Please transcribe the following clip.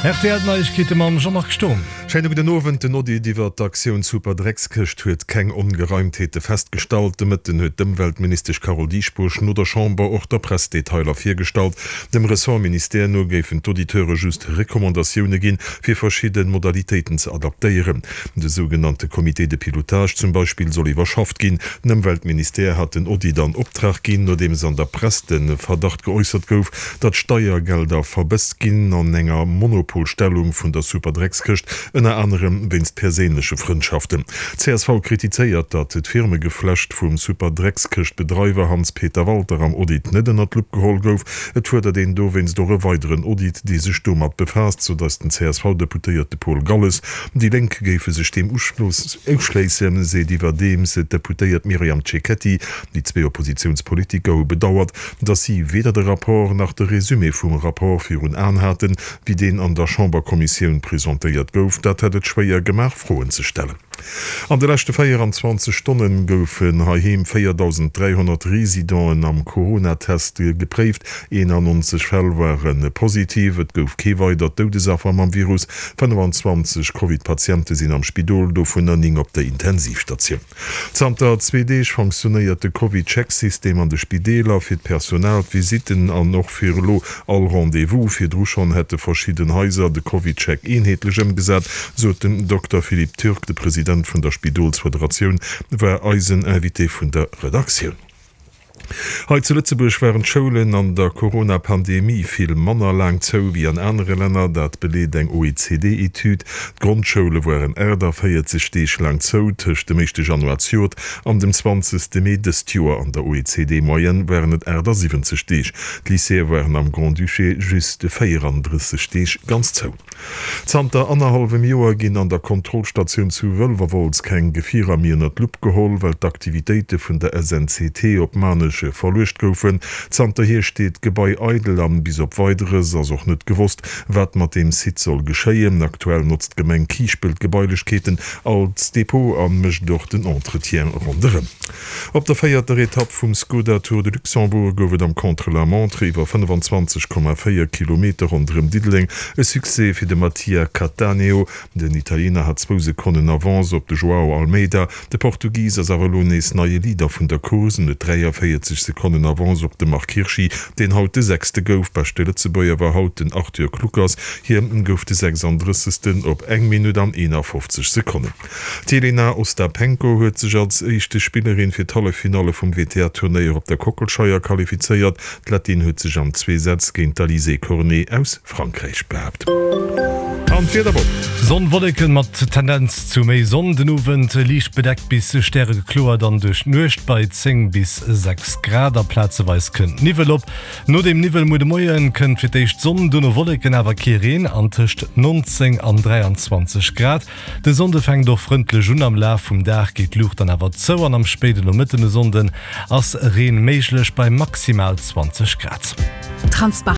Rtl Neiegkeete mam Jean-Marc Sturm. Schéine gudden Owend. Den Audit iwwer d'Aktioun Super Dreckskëscht huet keng Ongereimtheete festgestallt. De Mëtten huet d'Ëmweltministesch Carole Dieschbourg no der Chamber och der Press Detailer virgestallt. Dem Ressortministère no géifen d'Auditeure just Recommandatioune ginn, fir verschidde Modalitéiten ze adaptéieren. De sougenannte Comité de pilotage zum Beispill soll iwwerschafft ginn. Den Ëmweltministère hat den Audit an Optrag ginn, nodeems an der Press de Verdacht geäussert gouf, datt Steiergelder verbësst ginn an enger Monopolstellung vun der Superdreckskëscht, ënner anerem wéinst perséinleche Frëndschaften. Csv kritizéiert, datt d'Firmegeflecht vum Superdreckskëscht-Bedreiwer Hans-Peter Walter am Audit net ënner d'Lupp geholl gouf. Et fuerdert een dowéinst och e weideren Audit, dee sech domat befaasst, sot eis den CSV-Deputéierte Paul Galles. Déi Lénk géife sech deem uschléissen, seet iwwerdeems d'Deputéiert Myriam Cecchetti. Déi zwee Oppositiounspolitiker hu bedauert, datt si weder de Rapport nach de Resumé vum Rapport virun Aen haten, wéi deen an der Chamberkommissioun presentéiert gouf. Dat hätt et schwéier gemaach, Froen ze stellen. An de leschte 24 Stonne goufen heiheem 4.300 Residenten am Coronatest gepréift. 91 Fäll ware positiv. Et gouf kee weidert Doudesaffer mam Virus. 25 Covid-Patiente sinn am Spidol, dovunner 9 op der Intensivstatioun. Zanter zwee Deeg fonctionnéiert de CovidCheck-System an de Spideeler fir d'Personal, d'Visitten an och fir elo all Rendez-vous. Virdru schonn hätte verschidden Haiser de CovidCheck eenheetlech ëmgesat, sot den Dokter Philippe Türk. De President vun der Spidolsfederatioun war eisen Invité vun der Redaktioun. Hei zu Lëtzebuerg waren d'Schoulen an der Corona-Pandemie vill manner laang zou wéi an anere Länner. Dat beleet eng OECD-Etüd. D'Grondschoule waren 48 Deeg laang zou tëscht dem éischte Januar zejoert an dem zwanzegste Mee dëst Joer. An der OECD-Moyenne waren et 78 Deeg. D'Lycéeë waren am Grand-Duché just 34 Deeg ganz zou. Zanter annerhallwem Joer ginn an der Kontrollstatioun zu Wëlwerwolz keng Gefierer méi ënner d'Lupp geholl, well d'Aktivitéite vun der SNCT op Maarnech verluecht goufen. Zanterhier steet d'Gebai eidel an bis op Weideres ass och net gewosst, wat mat deem Site soll geschéien. Aktuell notzt d'Gemeng Kiischpelt d'Gebailechkeeten als Depot a mécht och den Entretien ronderëm. Op der véierter Etapp vum Skoda Tour de Luxembourg gouf et am Contre-la-montre iwwer 25,4 Kilometer ronderëm Diddeleng e Succès fir de Mattia Cattaneo. Den Italiener hat zwou Sekonnen Avance op de Joao Almeida. De Portugis ass awer elo nees neie Leader vun der Course en huet 43 Sekonnen Avance op de Marc Hirschi, deen haut de Sechste gouf. Beschte Lëtzebuerger war haut den Arthur Kluckers, hie gouf de 36. op eng Minutt an 51 Sekonnen. D'Jelena Ostapenko huet sech als éischte Spillerin fir d'Halleffinalle vum WTA-Turnéier op der Kockelscheier qualifizéiert. D'Lettin huet sech an zwee Sätz géint d'Alizé Cornet aus Frankräich behaapt. An d'Wieder op. Sonn, Wolleken mat Tendenz zu méi Sonn, den Owend liicht bedeckt bis stäregekloer, dann duerch d'Nuecht bei 10 bis 6 Grad a plazeweis kënnt Niwwel op. No dem Niwwel muer de Moien kënnt fir d'éischt Sonn, duerno Wolleken, awer kee Reen an tëscht 19 an 23 Grad. De Sonnde fänkt och frëndlech un, am Laf vum Dag geet d'Luucht dann awer zou an am spéiden Nomëtten e Sonnden ass Reen méiglech bei maximal 20 Grad.